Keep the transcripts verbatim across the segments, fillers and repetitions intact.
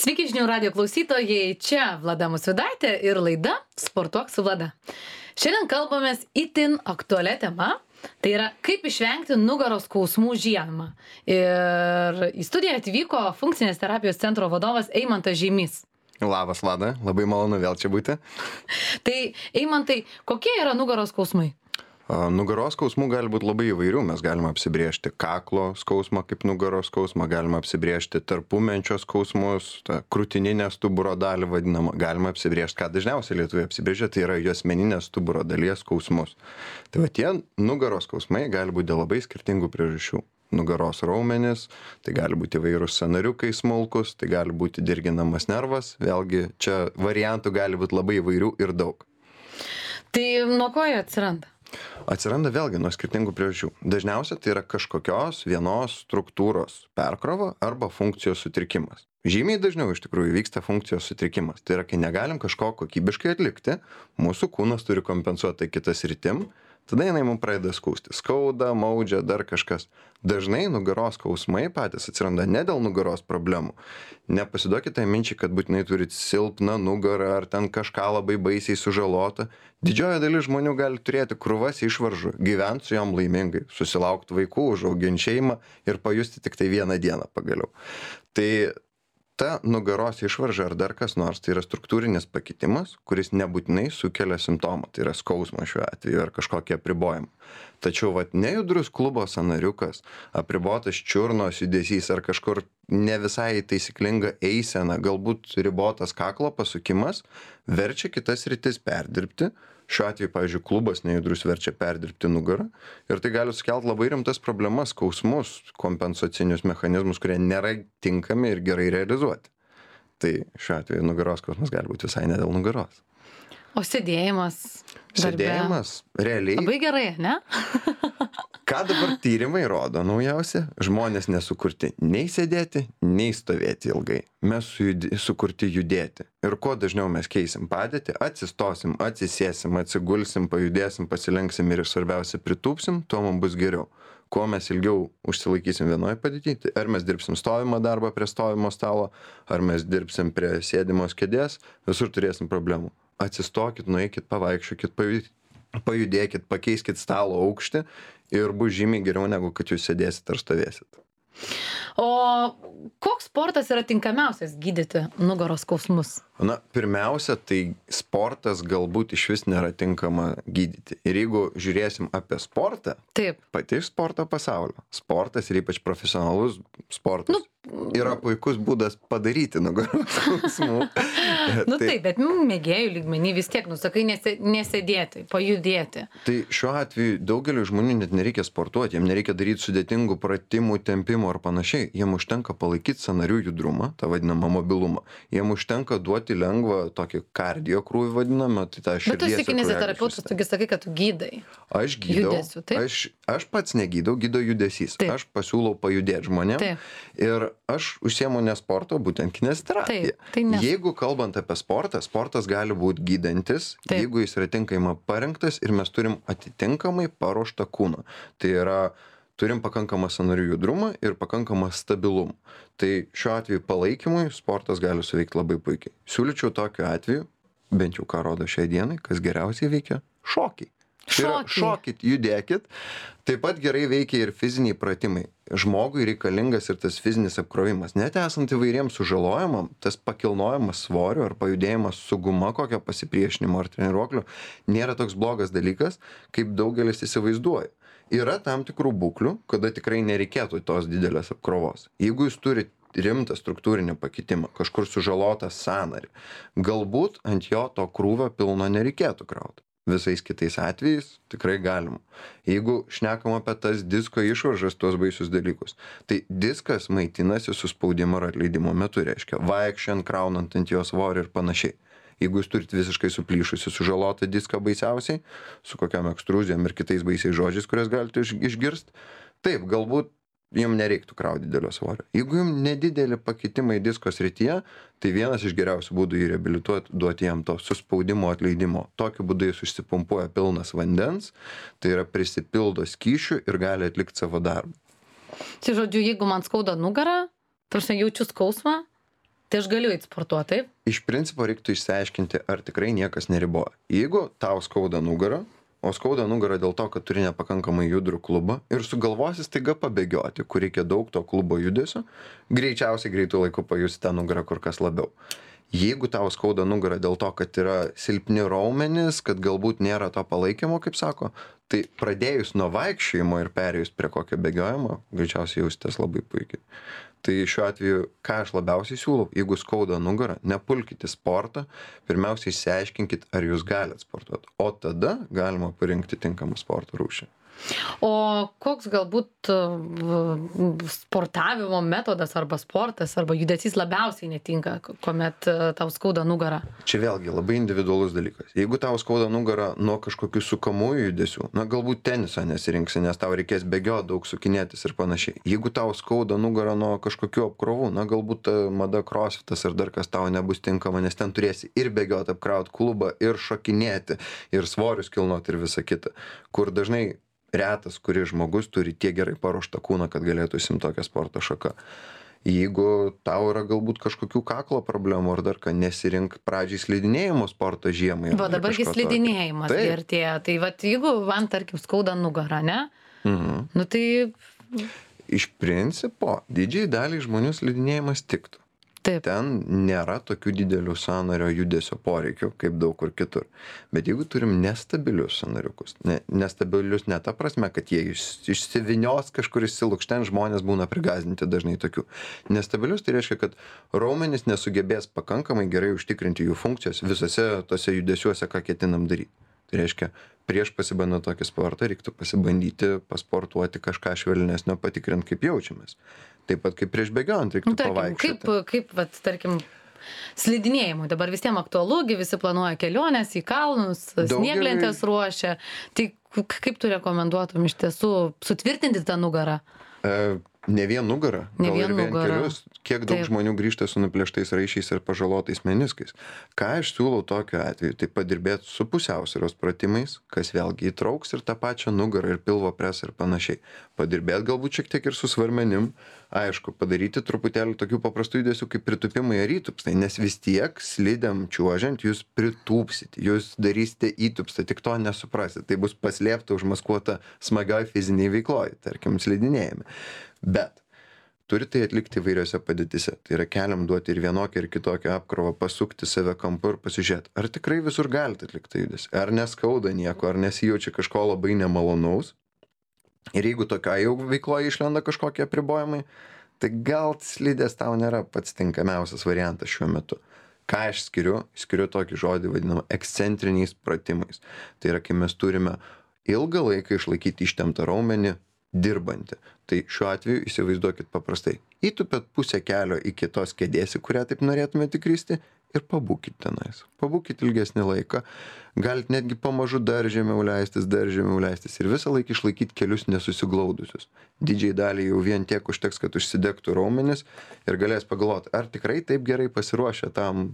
Sveiki žinių radijo klausytojai, čia Vlada Musvidaitė ir laida Sportuok su Vlada. Šiandien kalbamės itin aktualią temą, tai yra kaip išvengti nugaros skausmų žiemą. Ir į studiją atvyko funkcinės terapijos centro vadovas Eimantas Žeimys. Labas, Vlada, labai malonu vėl čia būti. Tai Eimantai, kokie yra nugaros skausmai? Nugaros skausmų gali būti labai įvairių. Mes galime apsibrėžti kaklo skausmą kaip nugaros skausmą, galime apsibrėžti tarpumenčio skausmus, tą krūtininę stuburo dalį vadinamą, galime apsibrėžti, ką dažniausiai lietuviai apsibrėžia, tai yra juosmeninės stuburo dalies skausmus. Tai va tie nugaros skausmai gali būti dėl labai skirtingų priežasčių. Nugaros raumenis, tai gali būti įvairūs sąnariukai smulkus, tai gali būti dirginamas nervas, vėlgi čia variantų gali būti labai įvairių ir daug. Tai nuo ko jie atsiranda? Atsiranda vėlgi nuo skirtingų priežasčių. Dažniausiai tai yra kažkokios vienos struktūros perkrova arba funkcijos sutrikimas. Žymiai dažniau iš tikrųjų vyksta funkcijos sutrikimas. Tai yra, kai negalim kažko kokybiškai atlikti, mūsų kūnas turi kompensuoti kitas rytim, tada jinai mums pradeda skausti. Skauda, maudžia, dar kažkas. Dažnai nugaros skausmai patys atsiranda ne dėl nugaros problemų. Nepasiduokite minčiai, kad būtinai turit silpną nugarą ar ten kažką labai baisiai sužalota. Didžioji dalis žmonių gali turėti krūvas išvaržų, gyventi su jom laimingai, susilaukti vaikų, užauginti šeimą ir pajusti tik tai vieną dieną pagaliau. Tai ta nugaros išvarža ar dar kas nors, tai yra struktūrinis pakitimas, kuris nebūtinai sukelia simptomą, tai yra skausmą šiuo atveju ar kažkokie apribojimai. Tačiau vat nejudrus klubo sąnariukas, apribotas čiurnos judesys ar kažkur ne visai taisyklinga eisena, galbūt ribotas kaklo pasukimas, verčia kitas sritis perdirbti. Šiuo atveju, pavyzdžiui, klubas nejudrus verčia perdirbti nugarą ir tai gali sukelti labai rimtas problemas, skausmus, kompensacinius mechanizmus, kurie nėra tinkami ir gerai realizuoti. Tai šiuo atveju nugaros skausmas gali būti visai ne dėl nugaros. O sėdėjimas darbe? Sėdėjimas realiai. Labai gerai, ne? Ką dabar tyrimai rodo naujausia? Žmonės nesukurti nei sėdėti, nei stovėti ilgai. Mes sukurti judėti. Ir kuo dažniau mes keisim padėtį, atsistosim, atsisėsim, atsigulsim, pajudėsim, pasilenksim ir svarbiausia pritūpsim, tuo mums bus geriau. Kuo mes ilgiau užsilaikysim vienoje padėtyje, ar mes dirbsim stovimo darbą prie stovimo stalo, ar mes dirbsim prie sėdimos kėdės, visur turėsim problemų. Atsistokit, nueikit, pavaikščiokit, pajudėkit, pakeiskit stalo aukštį ir bus žymiai geriau negu kad jūs sėdėsit ar stovėsit. O koks sportas yra tinkamiausias gydyti nugaros skausmus? Na, pirmiausia, tai sportas galbūt iš vis nėra tinkama gydyti. Ir jeigu žiūrėsim apie sportą, Taip. pati iš sporto pasaulio, sportas ir ypač profesionalus sportas nu, yra puikus būdas padaryti nugaros skausmų. Nu tai, bet mėgėjų lygmenį vis tiek, nusakai, nesėdėti, pajudėti. Tai šiuo atveju daugeliu žmonių net nereikia sportuoti, jiems nereikia daryti sudėtingų pratimų, tempimų ar panašiai. Jiems užtenka palaikyti sąnarių judrumą, tą vadinamą mobilumą. Jiems užtenka duoti lengvą tokį kardio krūvį vadinamą, tai tą širdies. Bet tu esi kineziterapeutas, tu sakai, kad tu gydai. Aš gydau, judesiu, aš, aš pats negydau, gydo judesys. Taip. Aš pasiūlau pajudėti žmonėms. Taip. Ir aš užsiemu ne sporto, būtent kineziterapija. Taip, tai ne. Jeigu kalbant apie sportą, sportas gali būti gydantis, Taip. jeigu jis yra tinkamai parengtas ir mes turim atitinkamai paruoštą kūną. Tai yra, turim pakankamą sąnarių judrumą ir pakankamą stabilumą. Tai šiuo atveju palaikymui sportas gali suveikti labai puikiai. Siūlyčiau tokiu atveju, bent jau ką rodo šiai dienai, kas geriausiai veikia - šokiai. Tai yra, Šokiai. šokit, judėkit. Taip pat gerai veikia ir fiziniai pratimai. Žmogui reikalingas ir tas fizinis apkrovimas. Net esant įvairiems sužalojimam, tas pakilnojimas svorio ar pajudėjimas su guma kokio pasipriešinimo ar treniruokliu nėra toks blogas dalykas, kaip daugelis įsivaizduoja. Yra tam tikrų būklių, kada tikrai nereikėtų tos didelės apkrovos. Jeigu jūs turite rimtą struktūrinį pakitimą, kažkur sužalotą sąnarį, galbūt ant jo to krūvio pilno nereikėtų krauti. Visais kitais atvejais tikrai galima. Jeigu šnekam apie tas disko išvaržas, tuos baisius dalykus, tai diskas maitinasi su spaudimo ar atleidimo metu, reiškia vaikščiant, kraunant ant jo svorį ir panašiai. Jeigu jūs turit visiškai suplyšusi, sužalotą diską baisiausiai, su kokiam ekstruzijom ir kitais baisiais žodžiais, kurias galite išgirsti, taip, galbūt jums nereiktų krauti didelio svorio. Jeigu jums nedidelį pakitimai disko srityje, tai vienas iš geriausių būdų jį reabilituoti, duoti jam to suspaudimo atleidimo. Tokiu būdu jis užsipumpuoja pilnas vandens, tai yra prisipildo skysčių ir gali atlikti savo darbą. Tai žodžiu, jeigu man skauda nugarą, tarsi jaučiu skausmą, Tai aš galiu eit sportuot, taip? Iš principo reiktų išsiaiškinti, ar tikrai niekas neriboja. Jeigu tau skauda nugarą, o skauda nugarą dėl to, kad turi nepakankamai judrų klubą ir sugalvosi staiga pabėgioti, kur reikia daug to klubo judesio, greičiausiai greitų laikų pajusi tą nugarą kur kas labiau. Jeigu tau skauda nugarą dėl to, kad yra silpni raumenys, kad galbūt nėra to palaikymo, kaip sako, tai pradėjus nuo vaikščiojimo ir perėjus prie kokio bėgiojimo, greičiausiai jausitės labai puikiai. Tai šiuo atveju, ką aš labiausiai siūlau, jeigu skauda nugarą, nepulkite sportą, pirmiausia išsiaiškinkit, ar jūs galit sportuoti, o tada galima parinkti tinkamą sporto rūšį. O koks galbūt sportavimo metodas arba sportas arba judesys labiausiai netinka, kuomet tau skauda nugarą? Čia vėlgi labai individualus dalykas. Jeigu tau skauda nugarą nuo kažkokių sukamųjų judesių, na galbūt teniso nesirinksi, nes tau reikės bėgioti, daug sukinėtis ir panašiai. Jeigu tau skauda nugarą nuo kažkokių apkrovų, na galbūt mada crossfitas ar dar kas tau nebus tinkama, nes ten turėsi ir bėgioti, apkrauti klubą, ir šokinėti, ir svorius kilnoti ir visa kita, kur dažnai retas, kuris žmogus turi tiek gerai paruoštą kūną, kad galėtų įsimti tokią sporto šaką. Jeigu tau yra galbūt kažkokių kaklo problemų ar dar ką, nesirink pradžiai slidinėjimo sporto žiemai. Va, dabargi slidinėjimas artėja. Tai va, jeigu man, tarkim, skauda nugarą, ne? Mhm. Nu tai... Iš principo, didžiai daliai žmonių slidinėjimas tiktų. Taip. Ten nėra tokių didelių sąnario judesio poreikių, kaip daug kur kitur. Bet jeigu turim nestabilius sąnariukus, ne, nestabilius ne ta prasme, kad jie iš, išsivinios kažkur išsilukšten, žmonės būna prigazdinti dažnai tokių. Nestabilius tai reiškia, kad raumenys nesugebės pakankamai gerai užtikrinti jų funkcijos visose tose judesiuose, ką ketinam daryti. Tai reiškia, prieš pasibandant tokį sportą reiktų pasibandyti pasportuoti kažką švelnesnio, patikrinti, kaip jaučiamės. Taip pat kaip prieš bėgiojant reiktų nu, tarkim, pavaikščioti. Kaip, kaip vat, tarkim, slidinėjimui dabar visiems aktualu, visi planuoja keliones į kalnus, snieglentės ruošia. Tai kaip tu rekomenduotum iš tiesų sutvirtinti tą nugarą? E, ne vien nugarą, ne gal vien ir vien nugarą. kelius. Kiek daug Taip. žmonių grįžta su nuplėštais raiščiais ir pažalotais meniskais. Ką aš siūlau tokiu atveju, tai padirbėti su pusiausvyros pratimais, kas vėlgi įtrauks ir tą pačią nugarą ir pilvo presą ir panašiai. Padirbėti galbūt šiek tiek ir su svarmenim, aišku, padaryti truputėlį tokių paprastų judesių kaip pritūpimai ar įtūpstai, nes vis tiek slidėm čiuožiant jūs pritūpsit, jūs darysite įtūpstą, tik to nesuprasit. Tai bus paslėpta, užmaskuota smagioj fiziniai veikloj, tarkim, slidinėjime. Bet turi tai atlikti įvairiose padėtise. Tai yra keliam duoti ir vienokią ir kitokią apkrovą, pasukti save kampu ir pasižiūrėti, ar tikrai visur galite atlikti judesį, ar neskauda nieko, ar nesijaučia kažko labai nemalonaus. Ir jeigu tokia jau veikloje išlenda kažkokie apribojimai, tai gal slidės tau nėra pats tinkamiausias variantas šiuo metu. Ką aš skiriu? Skiriu tokį žodį vadinamą ekscentriniais pratimais. Tai yra, kai mes turime ilgą laiką išlaikyti ištemptą raumenį, dirbantį. Tai šiuo atveju įsivaizduokit paprastai. Įtupėt pusę kelio iki tos kėdės, į kurią taip norėtumėte įkristi ir pabūkit tenais. Pabūkit ilgesnį laiką. Galit netgi pamažu dar žemiau leistis, dar žemiau leistis ir visą laiką išlaikyti kelius nesusiglaudusius. Didžiai daliai jau vien tiek užteks, kad užsidegtų raumenis ir galės pagalvoti, ar tikrai taip gerai pasiruošę tam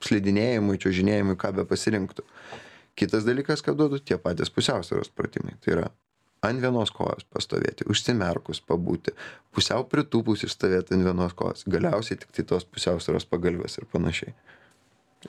slidinėjimui, čiuožinėjimui, ką be pasirinktų. Kitas dalykas, ką duodu, tie patys pusiausvyros pratimai. Tai yra ant vienos kojos pastovėti, užsimerkus pabūti, pusiau pritūpus išstovėti ant vienos kojos, galiausiai tik tai tos pusiausvyros pagalvės ir panašiai.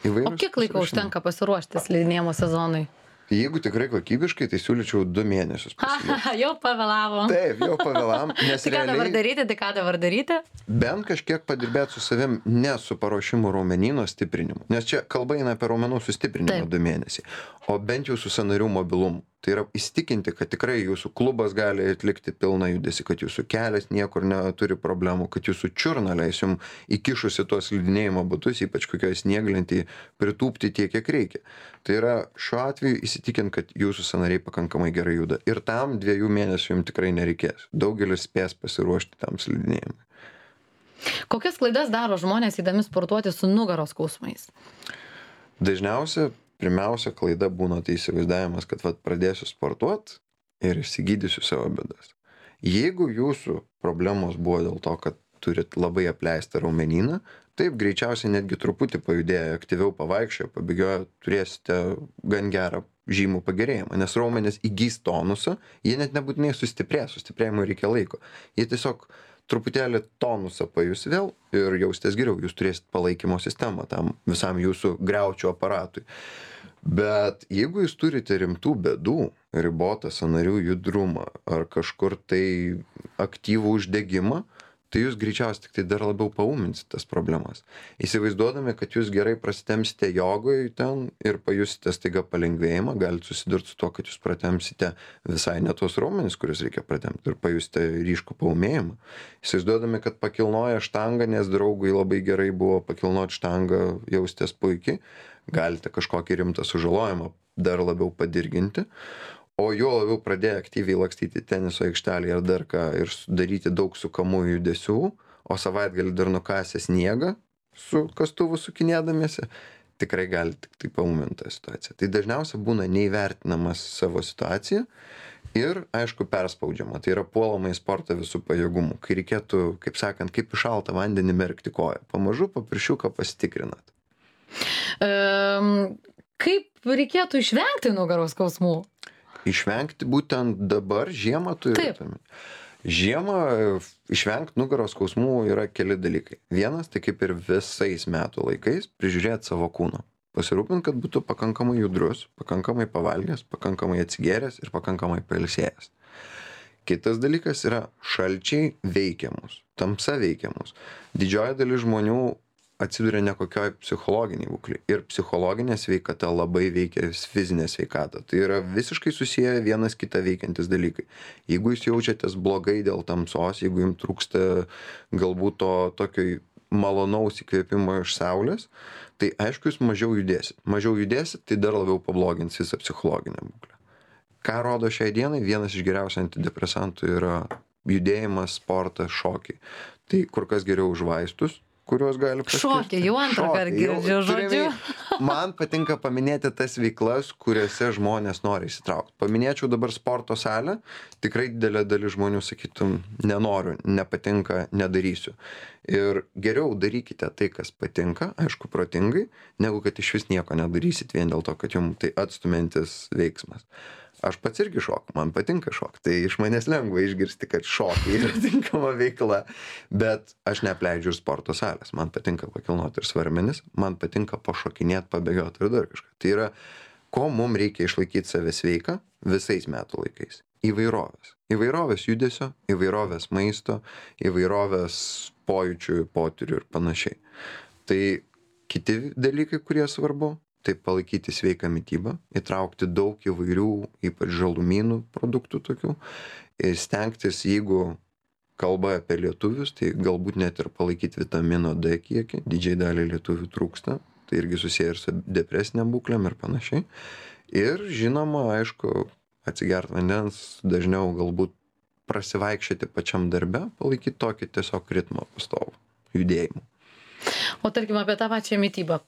Įvairūs O kiek laiko pasiruošimai. užtenka pasiruošti slidinėjimo sezonui? Jeigu tikrai kokybiškai, tai siūlyčiau du mėnesius pasiliekti. Jau pavėlavo. Taip, jau pavėlam, nes Tai ką dabar realiai daryti, tai ką dabar daryti? bent kažkiek padirbėti su savim, ne su paruošimu raumenyno stiprinimu. Nes čia kalba eina apie raumenų sustiprinimą Taip. du mėnesiai, o bent jau su sąnarių mobilumu. Tai yra įsitikinti, kad tikrai jūsų klubas gali atlikti pilną judesį, kad jūsų kelias niekur neturi problemų, kad jūsų čiurna leis jums įkišusi tuos slidinėjimo batus, ypač kokioje snieglentėje, pritūpti tiek, kiek reikia. Tai yra šiuo atveju įsitikinti, kad jūsų sąnariai pakankamai gerai juda. Ir tam dviejų mėnesių jums tikrai nereikės. Daugelis spės pasiruošti tam slidinėjimui. Kokias klaidas daro žmonės įdami sportuoti su nugaros skausmais? Dažniausia, pirmiausia klaida būna tai įsivaizdavimas, kad vat, pradėsiu sportuoti ir išsigydysiu savo bėdas. Jeigu jūsų problemos buvo dėl to, kad turit labai apleistą raumenyną, taip greičiausiai netgi truputį pajudėję, aktyviau pavaikščioję, pabėgioję, turėsite gan gerą žymų pagerėjimą, nes raumenys įgys tonusą, jie net nebūtinai sustiprės, sustiprėjimui reikia laiko. Jie tiesiog truputėlį tonusą pajus vėl ir jausitės geriau, jūs turėsit palaikymo sistemą tam visam jūsų griaučių aparatui. Bet jeigu jūs turite rimtų bėdų, ribotą sąnarių judrumą ar kažkur tai aktyvų uždegimą, tai jūs greičiausiai tik tai dar labiau paūminsit tas problemas. Įsivaizduodami, kad jūs gerai prasitemsite jogoj ten ir pajusite staiga palengvėjimą, galite susidurti su to, kad jūs pratemsite visai ne tos raumenis, kuriuos reikia pratemti ir pajusite ryškų paūmėjimą. Įsivaizduodami, kad pakilnoja štangą, nes draugui labai gerai buvo pakilnoti štangą, jaustės puikiai, galite kažkokį rimtą sužalojimą dar labiau padirginti. O juo labiau pradėjo aktyviai lakstyti teniso aikštelėje ar dar ką ir daryti daug sukamųjų judesių, o savaitgalį dar nukasę sniegą su kastuvu sukinėdamiesi, tikrai gali tik tai paūminti tą situaciją. Tai dažniausiai būna neįvertinamas savo situacija ir, aišku, perspaudžiama. Tai yra puolama į sportą visų pajėgumų, kai reikėtų, kaip sakant, kaip į šaltą vandenį merkti koją. Pamažu paviršiuką pasitikrinat. Um, kaip reikėtų išvengti nugaros skausmų? Išvengti būtent dabar žiemą turėtume. Žiemą išvengti nugaros skausmų yra keli dalykai. Vienas, tai kaip ir visais metų laikais, prižiūrėti savo kūną. Pasirūpinti, kad būtų pakankamai judrus, pakankamai pavalgęs, pakankamai atsigėręs ir pakankamai pailsėjęs. Kitas dalykas yra šalčiai veikiamus, tamsa veikiamus. Didžioji dalis žmonių atsiduria nekokioj psichologiniai būklei. Ir psichologinė sveikata labai veikia fizinę sveikatą. Tai yra visiškai susiję vienas kitą veikiantis dalykai. Jeigu jūs jaučiatės blogai dėl tamsos, jeigu jums trūksta galbūt to tokio malonaus įkvėpimo iš saulės, tai aišku, jūs mažiau judėsit. Mažiau judėsit, tai dar labiau pablogins visą psichologinę būklę. Ką rodo šiai dienai? Vienas iš geriausių antidepresantų yra judėjimas, sportas, šokiai. Tai kur kas geriau už vaistus, kuriuos gali paskirti. Šokį, jau antrą kartą girdžiu žodžiu. Man patinka paminėti tas veiklas, kuriuose žmonės nori įsitraukti. Paminėčiau dabar sporto salę, tikrai didelė dalis žmonių sakytum, nenoriu, nepatinka, nedarysiu. Ir geriau darykite tai, kas patinka, aišku, protingai, negu kad iš vis nieko nedarysit vien dėl to, kad jums tai atstumiantis veiksmas. Aš pats irgi šoku, man patinka šokti, tai iš manęs lengva išgirsti, kad šokiai yra tinkama veikla, bet aš neapleidžiu ir sporto salės, man patinka pakilnoti ir svarmenis, man patinka pašokinėti, pabėgioti ir dar kažką. Tai yra, ko mums reikia išlaikyti save sveiką visais metų laikais. Įvairovės. Įvairovės judesio, įvairovės maisto, įvairovės pojūčių, potyrių ir panašiai. Tai kiti dalykai, kurie svarbu, tai palaikyti sveiką mitybą, įtraukti daug įvairių, ypač žalumynų produktų tokių, ir stengtis, jeigu kalba apie lietuvius, tai galbūt net ir palaikyti vitamino D kiekį, didžiai dalį lietuvių trūksta, tai irgi susiję ir su depresiniam būklėm ir panašiai. Ir žinoma, aišku, atsigerti vandens, dažniau galbūt prasivaikščioti pačiam darbe, palaikyti tokį tiesiog ritmą pastovų, judėjimų. O tarkim apie tą pačią mitybą.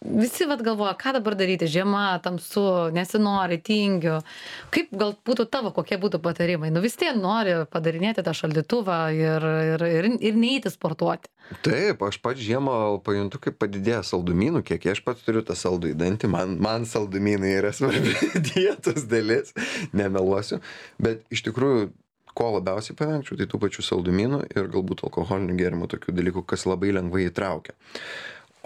Visi vat galvoja, ką dabar daryti, žiema, tamsu, nesinori, tingiu. Kaip gal būtų tavo, kokie būtų patarimai? Nu vis tiek nori padarinėti tą šaldytuvą ir, ir, ir, ir neįti sportuoti. Taip, aš pats žiemą pajuntu, kaip padidėja saldumynų kiekį. Aš pats turiu tą saldų į dantį, man, man saldumynai yra svarbi dietos dalis, nemeluosiu. Bet iš tikrųjų, ko labiausiai pavengčiau, tai tų pačių saldumynų ir galbūt alkoholinių gėrimų, tokių dalykų, kas labai lengvai įtraukia.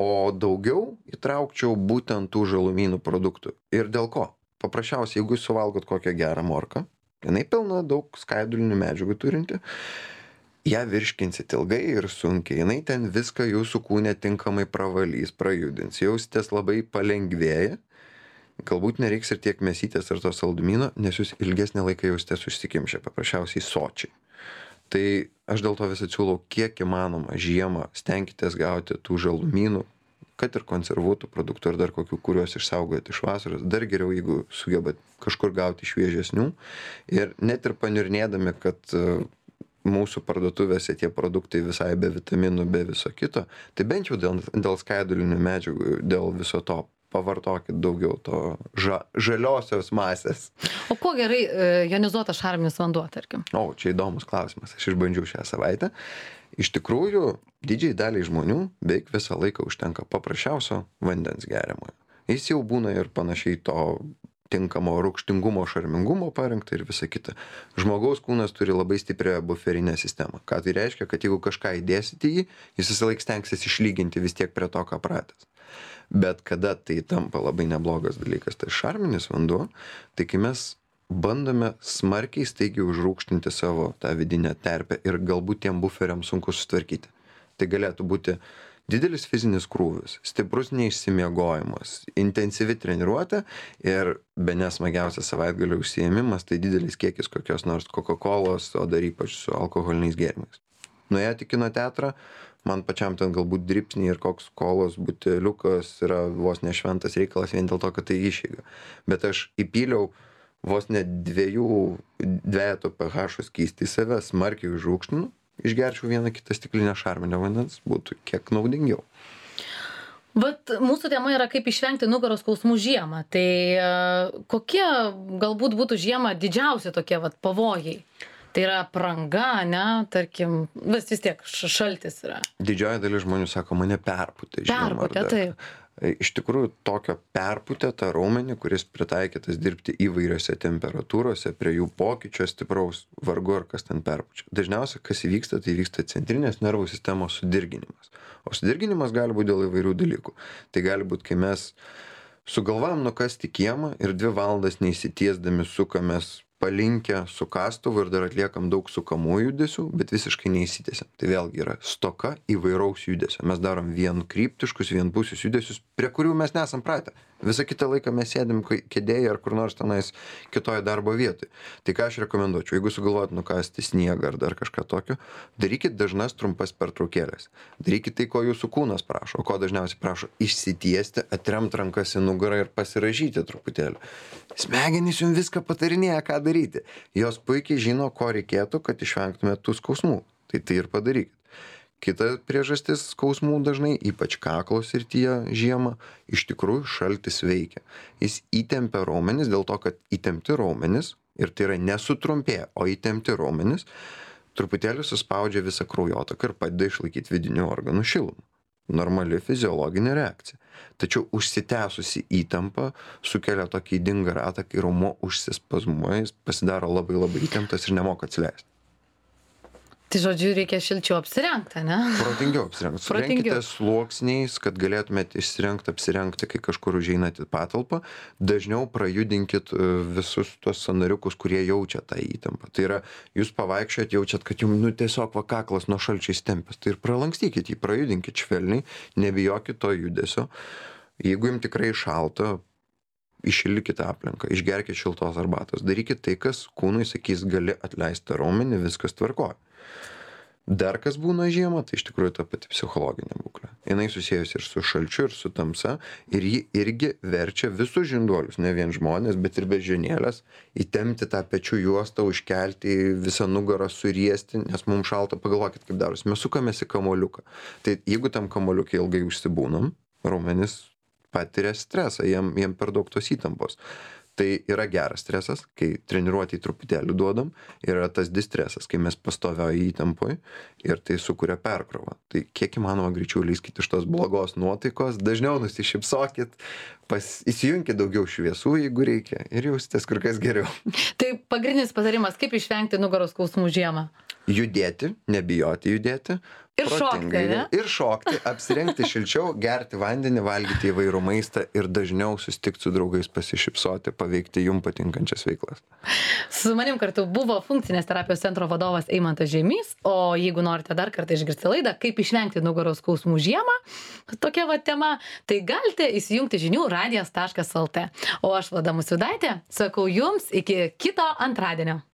O daugiau įtraukčiau būtent tų žalumynų produktų. Ir dėl ko? Paprasčiausiai, jeigu jūs suvalgot kokią gerą morką, jinai pilna daug skaidulinių medžiagų turinti, ją virškinsit ilgai ir sunkiai, jinai ten viską jūsų kūne tinkamai pravalys, prajudins, jausitės labai palengvėję, galbūt nereiks ir tiek mėsytės ar to saldumyno, nes jūs ilgesnį laiką jausitės užsikimšę, paprasčiausiai sočiai. Tai aš dėl to vis atsiūlau, kiek įmanoma žiemą stenkitės gauti tų žalumynų, kad ir konservuotų produktų ar dar kokių, kuriuos išsaugojate iš vasaros. Dar geriau, jeigu sugebat kažkur gauti šviežesnių. Ir net ir paniurnėdami, kad mūsų parduotuvėse tie produktai visai be vitaminų, be viso kito, tai bent jau dėl, dėl skaidulinių medžiagų, dėl viso to pavartokit daugiau to ža, žaliosios masės. O kuo gerai e, jonizuotas šarminis vanduo, tarkim? O, čia įdomus klausimas. Aš išbandžiau šią savaitę. Iš tikrųjų, didžiai daliai žmonių beveik visą laiką užtenka paprasčiausio vandens geriamojo. Jis jau būna ir panašiai to tinkamo rūgštingumo, šarmingumo parengta ir visa kita. Žmogaus kūnas turi labai stiprią buferinę sistemą. Ką tai reiškia, kad jeigu kažką įdėsit į jį, jis visą laiką stengsis išlyginti vis tiek prie to, ką pratęs. Bet kada tai tampa labai neblogas dalykas, tai šarminis vanduo, tai kai mes bandome smarkiai staigiai užrūgštinti savo tą vidinę terpę ir galbūt tiem buferiam sunku sutvarkyti. Tai galėtų būti didelis fizinis krūvis, stiprus neišsimiegojimas, intensyvi treniruotė ir bene smagiausias savaitgalio užsiėmimas, tai didelis kiekis kokios nors Coca-Colos, o dar ypač su alkoholiniais gėrimais. Nuėjot į kino teatrą, man pačiam ten galbūt dripsniai ir koks kolos buteliukas yra vos ne šventas reikalas vien dėl to, kad tai išeiga. Bet aš įpyliau vos ne dviejų dvejeto pH skystį į save, smarkiai užrūgštinu, išgerčiau vieną kitą stiklinę šarminio vandens, būtų kiek naudingiau. Vat mūsų tema yra kaip išvengti nugaros skausmų žiemą. Tai e, kokie galbūt būtų žiemą didžiausi tokie vat pavojai? Tai yra apranga, ne, tarkim, vis, vis tiek š- šaltis yra. Didžioji dalis žmonių sako, mane perpūtė. žiemą ar Perpūtė, dar taip. ką. Iš tikrųjų, tokio perpūtę tą raumenį, kuris pritaikytas dirbti įvairiose temperatūrose, prie jų pokyčio stipraus, vargu ar kas ten perpučia. Dažniausiai, kas įvyksta, tai vyksta centrinės nervų sistemos sudirginimas. O sudirginimas gali būti dėl įvairių dalykų. Tai gali būti, kai mes sugalvojam nukasti kiemą ir dvi valandas neįsitiesdami sukamės palinkę su kastuvu ir dar atliekam daug sukamų judesių, bet visiškai neįsitiesiam. Tai vėlgi yra stoka įvairaus judesio. Mes darom vienkryptiškus, vienpusius judesius, prie kurių mes nesam pratę. Visą kitą laiką mes sėdim kai- kėdėje ar kur nors tenais kitoje darbo vietoje. Tai ką aš rekomenduočiau, jeigu sugalvojat nukasti sniegą ar dar kažką tokio, darykit dažnas trumpas pertraukėlės. Darykit tai, ko jūsų kūnas prašo, o ko dažniausiai prašo išsitiesti, atremt rankas į nugarą ir pasiražyti truputėlį. Smegenys jums viską patarinėja, ką daryti. Jos puikiai žino, ko reikėtų, kad išvengtumėt tų skausmų. Tai tai ir padarykit. Kita priežastis skausmų dažnai, ypač kaklo srityje žiemą, iš tikrųjų šaltis veikia. Jis įtempia raumenis dėl to, kad įtempti raumenis, ir tai yra nesutrumpėję, o įtempti raumenis, truputėlį suspaudžia visą kraujotaką ir padeda išlaikyti vidinių organų šilumą. Normali fiziologinė reakcija. Tačiau užsitęsusi įtampa sukelia tokį ydingą ratą, kai raumuo užsispazmuoja, jis pasidaro labai labai įtemptas ir nemoka atsileisti. Tai žodžiu, reikia šilčiau apsirengti, ne? Protingiau apsirengti. Protingiau. Surenkite sluoksniais, kad galėtumėte išsirengti, apsirengti, kai kažkur užeinate į patalpą. Dažniau prajudinkit e, visus tuos sąnariukus, kurie jaučia tą įtampą. Tai yra, jūs pavaikščiojat, jaučiat, kad jums nu, tiesiog va kaklas nuo šalčio įstempęs. Tai ir pralankstykit jį, prajudinkit švelniai, nebijokit to judesio. Jeigu jums tikrai šalta, iššildykite aplinką, išgerkite šiltos arbatos, darykit tai, kas kūnui sakys, gali atleisti raumenį, viskas tvarkoja. Dar kas būna žiemą, tai iš tikrųjų ta pati psichologinė būklė. Jinai susijusi ir su šalčiu, ir su tamsa, ir ji irgi verčia visus žinduolius, ne vien žmonės, bet ir beždžionėlės, įtempti tą pečių juostą, užkelti visą nugarą, suriesti, nes mums šalta, pagalvokit, kaip darosi. Mes sukamės į kamuoliuką. Tai jeigu tam kamuoliukai ilgai užsibūnam, raumenys patiria stresą, jiem, jiem per daug tos įtampos. Tai yra geras stresas, kai treniruotį truputėlį duodam, yra tas distresas, kai mes pastovioji įtampoj ir tai sukuria perkrovą. Tai kiek įmanoma greičiau leiskit iš tos blogos nuotaikos, dažniau nusišypsokit, pas, įsijunkit daugiau šviesų, jeigu reikia, ir jausitės kur kas geriau. Tai pagrindinis patarimas, kaip išvengti nugaros skausmų žiemą. Judėti, nebijoti judėti. Ir šokti, protingai, ne? Ir šokti, apsirengti šilčiau, gerti vandenį, valgyti įvairų maistą ir dažniau susitikti su draugais, pasišypsoti, paveikti jums patinkančias veiklas. Su manim kartu buvo funkcinės terapijos centro vadovas Eimantas Žemys, o jeigu norite dar kartą išgirsti laidą, kaip išvengti nugaros skausmų žiemą, tokia va tema, tai galite įsijungti žinių radijas taškas lt. O aš Vlada Musvydaitė sakau jums iki kito antradienio.